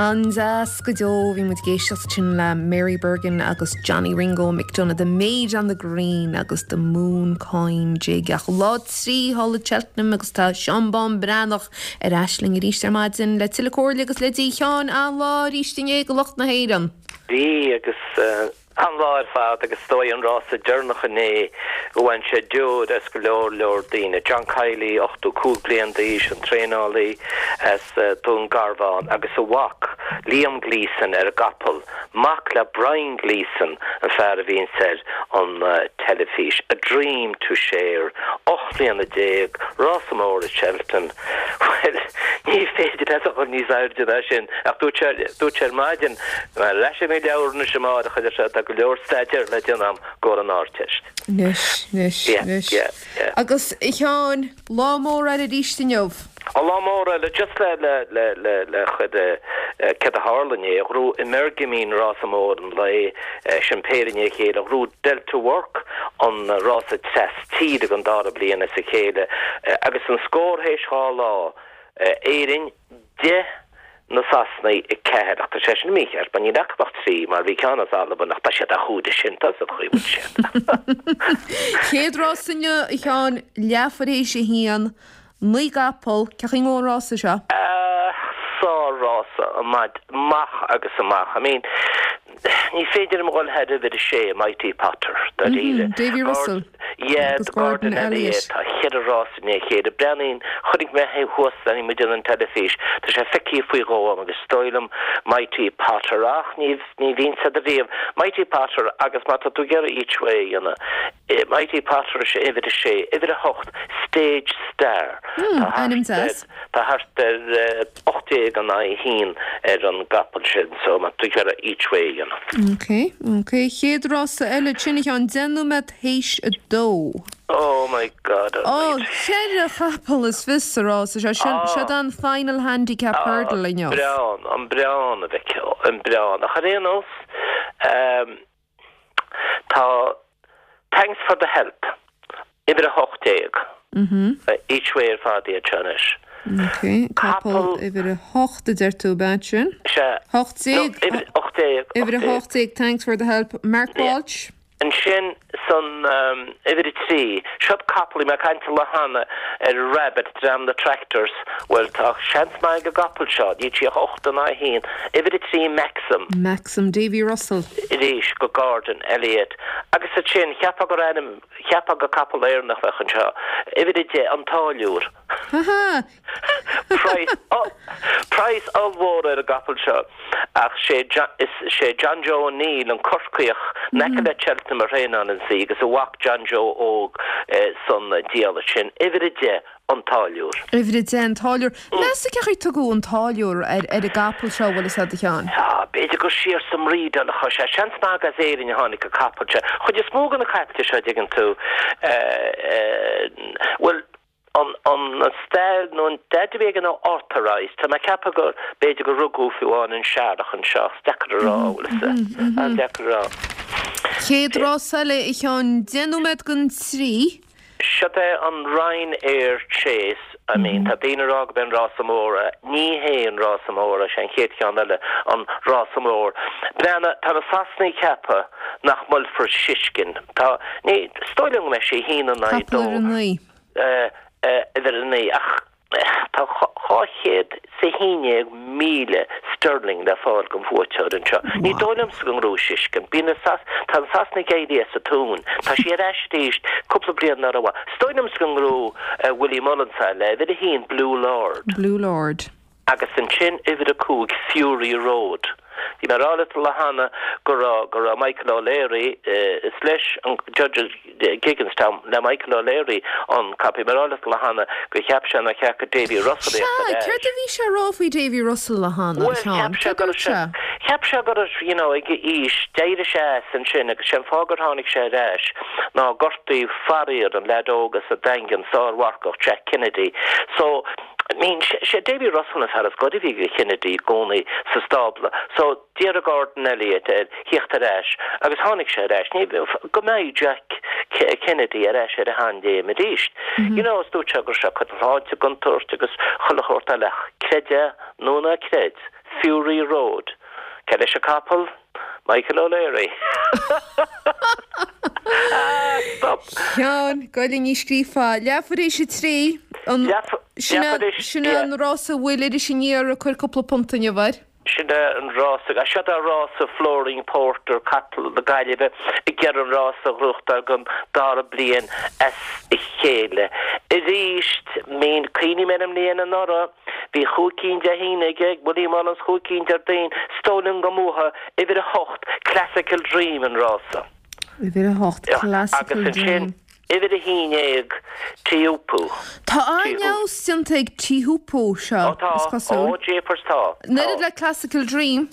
An-deas go deo. Bhí muid ag éisteacht ansin le Mary Bergin agus Johnny Ringo McDonagh, The Maid on the Green agus The Mooncoin Jig. Ach lá 3 thall i Cheltenham agus tá Seán Bán Breathnach ar ais linn arís ar maidin le tuilleadh comhairle agus leidí. A Sheáin, an-lá arís inné do lucht na hÉireann. Bhí agus. An-lá ar fad agus is dóigh an rása deireanach inné go bhain sé deoir as go leor leor daoine. John Kiely, 85 bliain d'aois, an traenálaí as Dún Garbhán agus a mhac Liam Gleeson ar an gcapall, mac le Brian Gleeson, an fear a bhíonns ar an teilifís. A dream to share. 18 mbliana, rása mór i Cheltenham. Bhuel, ní féidir leat a dhul níos airde ná sin ach dúirt sé, dúirt sé ar maidin, Ar ais ar mo leabhar anois amárach, a deir sé, tá go leor staidéir le déanamh agam i gcomhair an Ardteist. Anois, anois, Yeah, anois. yeah, yeah. Agus, a Sheáin, lá mór eile arís inniu. Á, lá mór eile, just le, le, le, le, le chuid eh, céard a tharla inné, ghnóthaigh Energumene rása mór an lae, sin péire i ndiaidh a chéile, ghnóthaigh Delta Work an rása tras tíre don dara bliain as a chéile agus an scór théis 2 lá, Éirinn 10, na Sasanaigh 4 ach tá sé sin mícheart mar níl acu ach 3 mar bhí ceann as Albain ach tá siad á chúideamh sin, tá siad chaoi bhfuil siad. Chéad rás inniu, a Sheáin, leathuair théis a haon, 9 gcapall, cén chaoi a ngabhann an rása seo? Sár-rása, amach agus amach. I mean, Ní féidir liom a dhul thar uimhir a sé, Mighty Potter, dáiríre. Davy Russell Yeah, agus Gordon Gordon Elliott. Elliott. Tá cheithre rás i ndiaidh a chéile. Breathnaíonn, chonaic mé é thuas leanaí muid ar an teilifís. Tá sé feicthe faoi dhó agam agus is dóigh liom Mighty Potter ach ní, ní bhíonn siad riamh. Mighty Potter agus má tá tú ag iarraidh each way a dhéanamh, Mighty Potter is ea uimhir a sé, uimhir a hocht, Stage Star. Hmm, Tá ainm thart ar, deas. tá thart ar 18 in aghaidh a haon ar an gcapall sin so má tá tú ag iarraidh each way a dhéanamh. Ok, ok. Chéad rása eile, sin a Sheáin, 10 nóiméad théis a dó. Oh my God Ó, almighty. cheithre chapall is fios sa rása seo. Seo, Ah. seo an Final Handicap Ah, Hurdle inniu. breán, an breán a mhic, an breán. Ach ar aon nós, ehm, Tá Thanks for the help, uimhir 18, each way ar fad iad seo anois. Ok, capall uimhir 8 a deir tú, ab ea sin? Sea. 18? No, uimhir 18. Uimhir 18, Thanks for the help, Mark Walsh. Ansin san uimhir 3, seod capall, bhí mé ag caint an lá cheana ar Rabbit, dream na Tractors, bhuel tá seans maith ag an gcapall seo, níl sí ach 8 in aghaidh 1, uimhir 3 Maxim. Maxim, Davy Russell. arís go Gordon Elliott agus ansin cheapfá gur ainm, cheapfá gur capall Éireannach a bheadh anseo, uimhir 10, An Táilliúr. Ha ha! Praghas, praghas ollmhór ar an gcapall seo ach sé, is sé John Joe O'Neill, an Corcaíoch, in aice le Cheltenham a thraenálann í agus a mhac John Joe óg san diallait sin, uimhir 10, An Táilliúr. Uimhir 10, An Táilliúr. Meas tú cén chaoi ar tugadh An Táilliúr ar ar an gcapall seo, bhfuil fhios a'd, a Sheáin? Tá, b'fhéidir gur siar sa mbrídeáil atá sé. Seans maith as Éirinn a tháinig an capall seo. Chuid is mó de na caiple seo, dtuigeann tú, bhuel, an, an stail nó an daid a bhí aige ná Authorised. Tá mé ag ceapadh gur, b'fhéidir gur rugadh fiú amháin an searrach anseo, ach is deacair a rá, bhfuil fhios a'd. An-deacair a rá. Chéad rás eile, a Sheáin, 10 nóiméad don trí. Seod é an Ryanair Chase, I mean, tá daoine ag rá gurb é an rása mór é. Ní hé an rása mór é, sé an chéad cheann eile an rása mór. Breathnaigh, tá na Sasanaigh ag ceapadh nach mbuailfear Shishkin. Tá, ní, is dóigh liom go mbeidh sé a haon in aghaidh Capall dó. uimhir a naoi. Eh, eh, uimhir a naoi, ach. Tá 211,000 sterling le fáil don bhuaiteoir anseo. Ní dóigh liomsa go ngnóthóidh Shishkin. Bíonn na Sas, tá na Sasanaigh ag éirí as a dtóin. Tá sí ar ais arís cúpla bliain ná raibh. Is dóigh liomsa go ngnóthóidh Willie Mullins é le uimhir a haon Blue Lord. Blue Lord. Agus ansin uimhir a cúig Fury Road. Bhí mé ag rá leat an lá cheana go raibh, go raibh Michael O'Leary, is leis an Judges Gigginstown, le Michael O'Leary an capall. Bhí mé ag rá leat an lá cheana gur cheap sé nár cheart go Davy Russell Sea, a theacht ar ais. céard a bhí sé a rá faoi Davy Russell an lá cheana, Bhuel, a Sheáin? cheap sé Céard go a raibh dúirt sé, sé? cheap sé go raibh, you know, ag a aois, d'éirigh sé as ansin agus sé an fáth gur tháinig sé ar ais ná gortaíodh faraor an leaid óg as an Daingean, sármharcach, Jack Kennedy. So, I mean, sé Davy Russell an fear is gaire a bhí go Kennedy i gcónaí sa stábla. So, d'iarr Gordon Elliott air theacht ar ais agus tháinig sé ar ais. Ní, go mbeidh Jack Kennedy ar ais ar a sheanléim arís. You know, is dúirt sé go raibh sé ag cur a shláinte i gcontúirt agus chuile shórt eile ach creid é nó ná creid. Fury Road. Cé leis an capall? Michael O'Leary. Ah, stop! Sheáin, Gaelainn scríofa. Leathuair tar éis a 3. An, sin é, sin é an rása a bhfuil Iris Aniar ag cur cúpla punt inniu air. Sin é an rása, seo é rása Flooring Porter, capall na Gaillimhe, ag iarraidh an rása a ghnóthachtáil don dara bliain as a chéile. Arís, mín, cuimhním ar an mbliain anuraidh, bhí chúig cinn Dé hAoine aige, ag Willie Mullins, chúig cinn Déardaoin, is dóigh liom go mbuafaidh uimhir a hocht, Classical Dream, an rása. Uimhir a hocht, Classical Agus ansin, Dream. uimhir a haon dhéag, Teahupoo. Tá an-fheabhas déanta ag Teahupoo seo, Ó tá, is cosúil. ó jeepers tá, An tá. oiread le Classical Dream.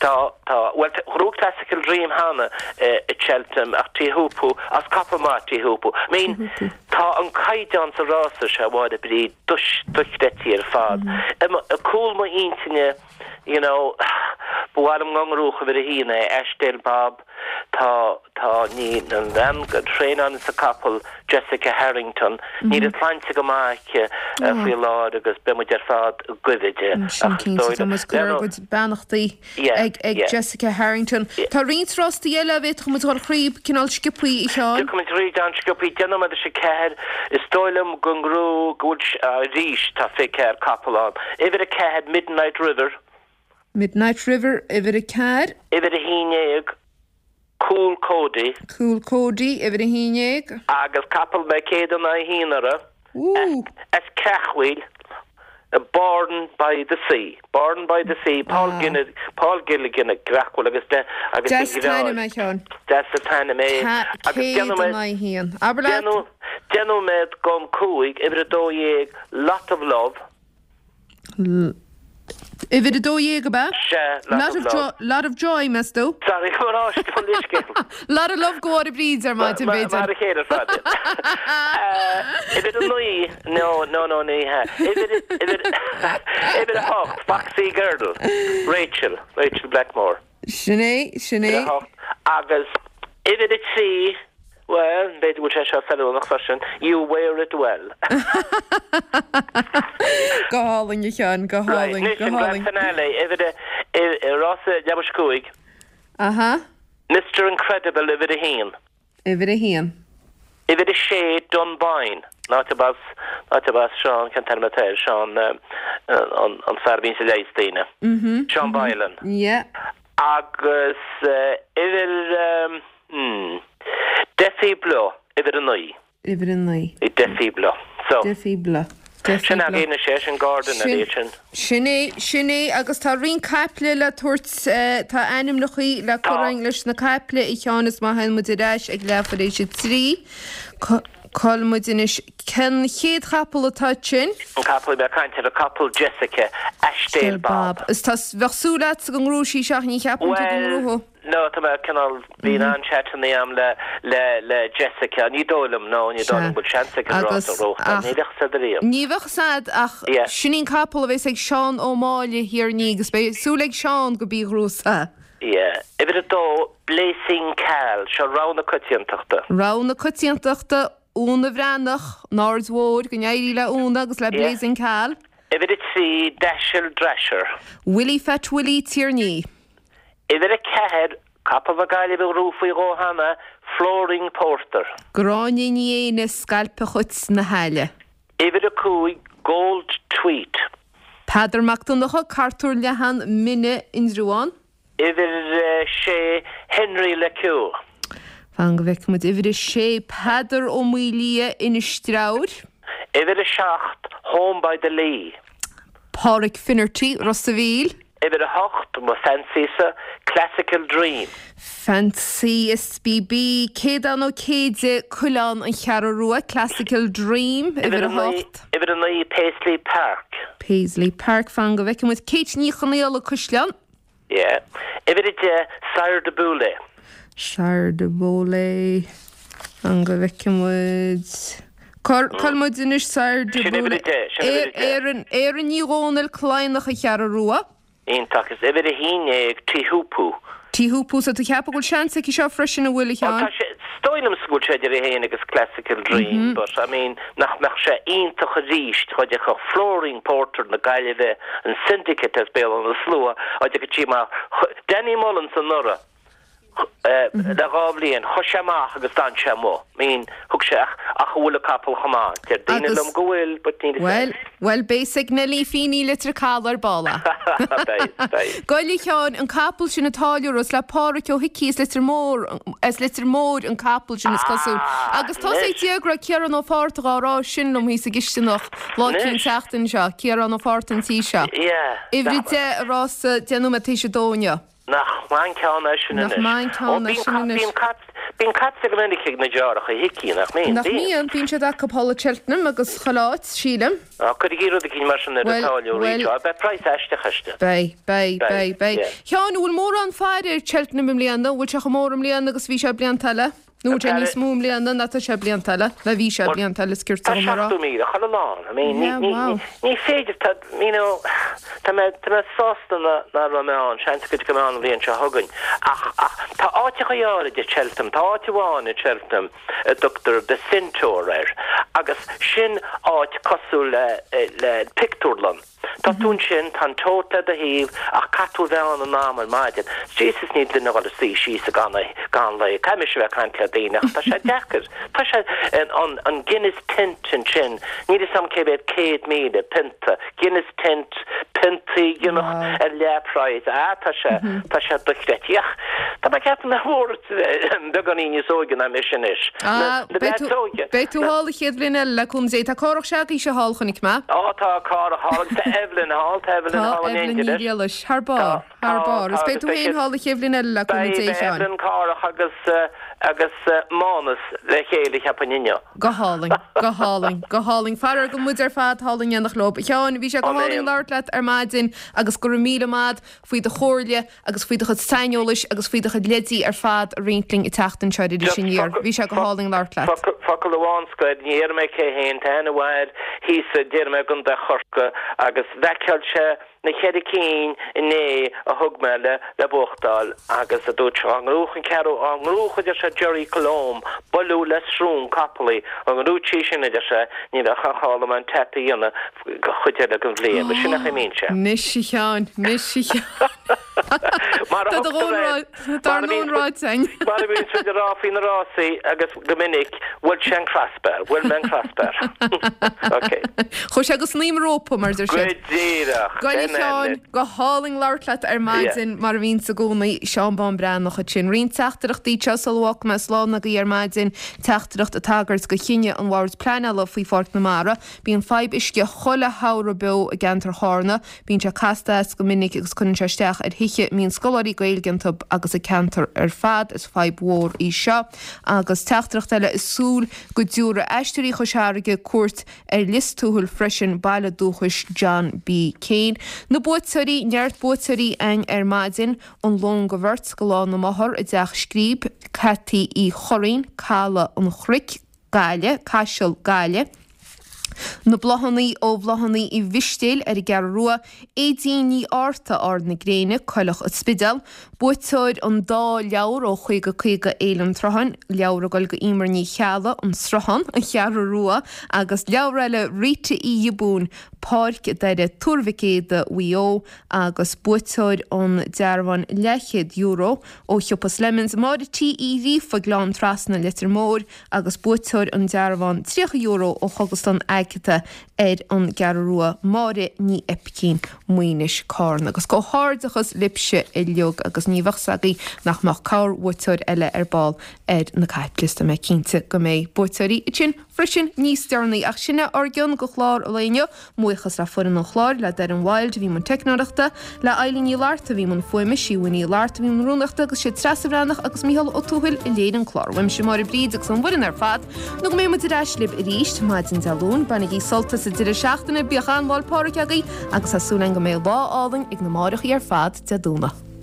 Tá, tá. Bhuel, ghnóthaigh Classical Dream cheana i Cheltenham ach Teahupoo, as capall maith Teahupoo. I mean, Teahupoo. tá an caighdeán sa rása seo, a Mháire Bríd, dochreidte ar fad. I gcúl m'intinne, You know, ba mhaith liom go ngnóthódh uimhir a haon é, Ashdale Bob, tá, tá, ní, an bhean a thraenálanns an capall, Jessica Harrington, níl a sláinte go maith aici faoi láthair agus beidh muid ar fad ag guí di. Sin Ach is cinnte, dóigh tá liom, muid ag cur ár gcuid beannachtaí ag, ag Jessica Harrington. Tá roinnt rástaí eile a bhféadfadh muid dhul thríob cineál sciobthaí, a Sheáin. Tiocfaidh muid thríd an-sciobthaí, deich nóiméad tar éis a ceathair, is dóigh liom go ngnóthóidh, go bhfuil, arís, tá 24 capall ann. Uimhir 4, Midnight River. Midnight River, uimhir 4. Uimhir 11, Cool Cody. Cool Cody, uimhir 11. Agus capall mé 101 orthu, Ooh. as Creachmhaoil, Born by the Sea. Born by the Sea, Paul Ah. Ginn, Paul Gilligan i gCreachmhaoil agus de, agus Deas de an t-ainm é, a Sheáin. Deas an t-ainm é. Agus 101. Abair leat. Deich nóiméad don cúig, uimhir 12, Lot of Love. Uimhir 12 ab ea? Sea, lot of love. Lot of joy, meas tú? Sorry, mo ráiste mo leithscéal. Lot of love go Mháire Bríd ar maidin, b'fhéidir. Mar a chéile ar fad. Uimhir 9, no, no, no, ní hea. Uimhir, uimhir, uimhir 8, Foxy Girl, Rachel, Rachel Blackmore. Sin é, sin é. Uimhir 8. Agus uimhir 3, bhuel, b'fhéidir go bhfuil sé seo feiliúnach freisin, You Wear It Well. Go hálainn, a Sheáin, go Right, hálainn, anois go an hálainn. Grand Finale, uimhir a, rás a leathuair tar éis a cúig. Aha. Mister Incredible, uimhir a haon. Uimhir a haon. Uimhir a sé, Dunboyne. An áit arb as, an áit arb as Seán, cén t-ainm atá air, Seán, an fear a bhíonns ag leigheas daoine. Seán Boylan. Yeah. Agus uimhir, hmm, Defi Bleu, uimhir a naoi. Uimhir a naoi. Defi Bleu. So. Defi Bleu. Defi Sin Bleu. againn anois é, sin Gordon a bhí sin. Sin é, sin é, agus tá roinnt caiple le tabhairt, tá ainmneachaí le cur Tá. againn leis na caiple, a Sheáin, is má théann muid ar ais ag leath tar éis a trí, cá bhfuil muid anois, cén chéad chapall atá ansin? An capall, bhí mé ag caint ar an capall Jessica, Ashdale Bob. Is tá, bheadh súil agatsa go ngnóthódh sí ach ní cheapann tú go Bhuel, ngnóthódh. No, tá mé cineál, bhí an-chaiteanna agam le, le, le Jessica, ní dóigh liom, no, ní dóigh liom go bhfuil seans aici an rás Agus, a ghnóthachtáil, ach, ní bheadh fhios a'd ariamh. ní bheadh fhios a'd ach Yeah. sin í an capall a bheas ag Seán Ó Máille thiar ní agus beidh súil ag Seán go b'í a ghnóthós é. Yeah. Uimhir a dó, Blazing Khal, seo rogha na coitiantachta. Rogha na coitiantachta, Úna Bhreathnach, an Aird Mhóir, go n-éirí le Úna agus le Yeah. Blazing Khal. Uimhir a trí, Dashel Drasher. Willie Phat Willie Tierney. Uimhir 4, Capall na Gaillimhe a ghnóthaigh faoi dhó cheana, Flooring Porter. Gráinne Ní Éinne, Scailpe Chait na hAille. Uimhir 5, Gold Tweet. Peadar Mac Donncha, Cartúr Leathan, Mine, Indreabhán. Uimhir 6, Henry Le Queux. Fan go bhfeicfidh muid. Uimhir 6, Peadar Ó Maolaodha, Inis Treabhair. Uimhir 7, Home by the Lee. Páraic Finnerty, Ros a' Mhíl. Uimhir 8, mo fancy-sa, Classical Dream. Fancy SBB, Céadán Ó Céide, Coileán, An Cheathrú Rua, Classical Dream, uimhir 8. Uimhir 9, Paisley Park. Paisley Park, fan go bhfeicfidh muid. Kate Ní Chonaola, Caisleán. Yeah. Uimhir 10, Sire Du Boulay. Sire Du Boulay, fan go bhfeicfidh muid. Cá bhfuil muid anois, Sire Du Sin uimhir Boulay. 10, sin uimhir 10. Éireann, Éireann Ní Dhomhnaill, Cladhnach, An Cheathrú Rua. Iontach. Is uimhir 11, Teahupoo. Tí Hoopoe, so tú ag ceapadh go bhfuil seans aici seo freisin, an bhfuil, a Sheáin? Bhuel tá sé, is dóigh liomsa go bhfuil sé idir í féin agus Classical Dream but I mean nach mbeadh sé iontach arís dá dtiocfadh Flooring Porter na Gaillimhe, an Syndicate as Béal Átha na Slua, dá dtiocfadh sí amach, Danny Mullins anuraidh le dhá bhliain, chuaigh sé amach agus d'fhan sé amuigh, I mean thug sé ach ach an bhfuil an capall chomh maith? Deir daoine Agus, liom go bhfuil but níl a fhios bhuel, agam. bhuel beidh 's ag Nellie Feeney Leitir Caladh ar ball. Beidh, beidh. Ghoill a Sheáin, an capall sin an táilliúra, is le Pádhraic Ó hIcí as Leitir Móir, as Leitir Móir an capall sin is cosúil. Ah, Agus tá sé anois. déag raibh Ciarán Ó Fátharta dhá rá sin liom thíos i gcisteanach lá Anois. eicínt an tseachtain seo, Ciarán Ó Fátharta an tí seo. Yeah. Uimhir a deich i rása 10 nóiméad tar éis a dó inniu. Nach maith an ceann é sin Nach anois. maith an Ó, ceann é bíonn sin cat, anois. bíonn cat, bíonn caite go minic ag na deartháireacha Hickey, nach mbíonn? Nach Bíonn. mbíonn? Bíonn siad acu thall i Cheltenham agus chuile áit, sílim. Á, cuirigí rud eicínt mar sin ar an Bhuel, táilliúir bhuel. seo. Beidh praghas aisteach aisti. Beidh, beidh, Beidh, beidh, beidh. yeah. Sheáin, an bhfuil mórán faire ar Cheltenham i mbliana? An bhfuil sé chomh mór i mbliana agus a bhí sé blianta eile? Nó an bhfuil sé níos mó i mbliana ná tá sé blianta eile? Ná bhí sé blianta eile, is ceart Tá dom a rá. 70,000 chuile lá ann. I mean, ní, Yeah, ní, wow. ní, ní féidir, tá, you know, tá mé, tá mé sásta ná, ná raibh mé ann, seans go dtiocfaidh mé ann an bhliain seo chugainn. Ach, ach, tá áiteachaí áirid i Cheltenham, tá áit amháin i Cheltenham a dtugtar The Centaur air, agus sin áit cosúil le, le pictiúrlann. Tá tú ansin, tá an tote le do thaobh, ach caithfidh tú a bheith ann in am ar maidin. Jesus, níl duine ag dul a suí síos i gceann lae. Caithfidh mise a bheith ag caint le daoine ach tá sé deacair. Tá sé, an, an Guinness Tent ansin, níl fhios a'm cé mhéad 100,000 pionta, Guinness Tent, piontaí a cheannach ar leath-phraghas, ah tá sé, tá sé dochreidte. Ach tá mé ag ceapadh nach mór beagáinín níos óige ná mise anois. Ah, Na beidh tú, leaids óige. beidh tú thall an chéad bhliain eile le cúnamh Dé. Tá Cárthach s'agaibhse thall, chonaic mé. Á, tá Cárthach thall agus tá Evelyn thall, tá Evelyn Tá thall in Evelyn éindí Ní leis. Ghriallais, thar Tá, barr, thar tá, barr. tá Is beidh agus tú beidh féin siad, thall an chéad bhliain eile le cúnamh beidh, Dé, beidh Sheáin. Evelyn, Cárthach agus, agus Mánas le chéile, cheapfainn inniu. Go hálainn, go hálainn, go hálainn. Faraor go muid ar fad thall in éineacht leo. A Sheáin, bhí sé go hálainn Áiméan. labhairt leat ar maidin agus go raibh míle maith faoi do chomhairle agus faoi do chuid saineolais agus faoi do chuid leidí ar fad a roinnt linn an tseachtain seo ar Iris Just Aniar. focal, Bhí sé go hálainn labhairt leat. focal, focal amháin scoir, ní dhéarfaidh mé cé hé, tá aithne mhaith air thíos, déarfaidh mé i gContae Chorcaí agus bhaiceáil sé na ceithre cinn inné a thug mé le, le buachtáil agus a dúirt sé, dá ngnóthódh an ceathrú, dá ngnóthódh a deir sé Gerri Colombe, bualadh le srón capall í, dá ngnóthódh sí sin a deir sé, ní bheadh aon chall dom an tap a dhéanamh go chuid eile den bhliain. Bhuel, sin é an chaoi a mbíonn sé. Anois a Sheáin, anois a Sheáin. Mar a Tá do thugtar dhóthain air, rá, tá mar ár a ndóthain bhíonns ráite againn. mar a bhíonns muid ag rá faoi na rásaí agus go minic, bhuail sé an crossbar, bhuail mé an crossbar. Ok. Chuaigh sé go snaidhm an rópa, mar a deir Go siad. díreach. Go Sin é Sheáin, anois. go hálainn labhairt leat ar Yeah. maidin, mar a bhíonns i gcónaí. Seán Bán Breathnach ansin. Roinnt teachtaireachtaí anseo sula bhfágfaidh mé slán agaibh ar maidin, teachtaireacht ag tagairt do chinneadh an Bhoird Pleanála faoi Pháirc na Mara. Bíonn fadhb uisce chuile shamhradh beo i gceantar Chárna. Bíonn sé casta as go minic agus cuireann sé isteach ar thithe a mbíonn scoláirí Gaeilge iontu agus an ceantar ar fad. Is fadhb mhór í seo. Agus teachtaireacht eile ag súil go dtiúrfaidh Aisteoirí Chois Fharraige cuairt ar Lios Tuathail freisin, baile dúchais John B. Keane. Na buaiteoirí, neart buaiteoirí againn ar maidin, an lón go bheirt go Lá na Máthar i dTeach Scríb, Cathy Uí Churraoin, Caladh an Chnoic, Gaillimh, Caiseal, Gaillimh, Na bláthanna ó Bhláthanna Uí Mhistéil ar an gCeathrú Rua, Aedín Ní Fhátharta, Ard na Gréine, Coileach an Spidéal, buaiteoir an dá leabhar ó 50 50 Fhéile an tSrutháin, leabhar ag dul go Emer Ní Cheallaigh, An Sruthán, An Cheathrú Rua, agus leabhar eile Rita Uí Ghiobúin, Páirc Doire, Tuar Mhic Éadaigh, Mhaigh Eo, agus buaiteoir an dearbháin leathchéad euro ó shiopa Slemons, Máire T Uí Ghríofa, Gleann Trasna, Leitir Móir, agus buaiteoir an dearbháin €30 ó Chógaslann Agatha ar an gCeathrú Rua, Máire Ní Oipicín, Maínis, Carna. Agus comhghairdeachas libhse uilig agus ní bheadh 's agaibh nach mbeadh corrbhuaiteoir eile ar ball ar na caipliosta. Tá mé cinnte go mbeidh buaiteoirí ansin freisin níos deireanaí. Ach sin é ár gcion go chlár an lae inniu. Buíochas le foireann an chláir, le Doireann Wilde a bhí i mbun teicneoireachta, le Eilín Ní Fhlatharta a bhí i mbun fuaime, Síomha Ní Fhlatharta a bhí i mbun rúnaíochta agus sé Treasa Bhreathnach agus Mícheál Ó Tuathail a léirigh an clár. Uaimse Máire Bríd agus an bhfoireann ar fad, nó go mbeidh muid ar ais libh arís maidin Dé Luain, bainigí sult as an deireadh seachtaine, bíodh an-Lá 'le Pádraig agaibh agus tá súil againn go mbeidh lá álainn ag na máithreachaí ar fad Dé Domhnaigh.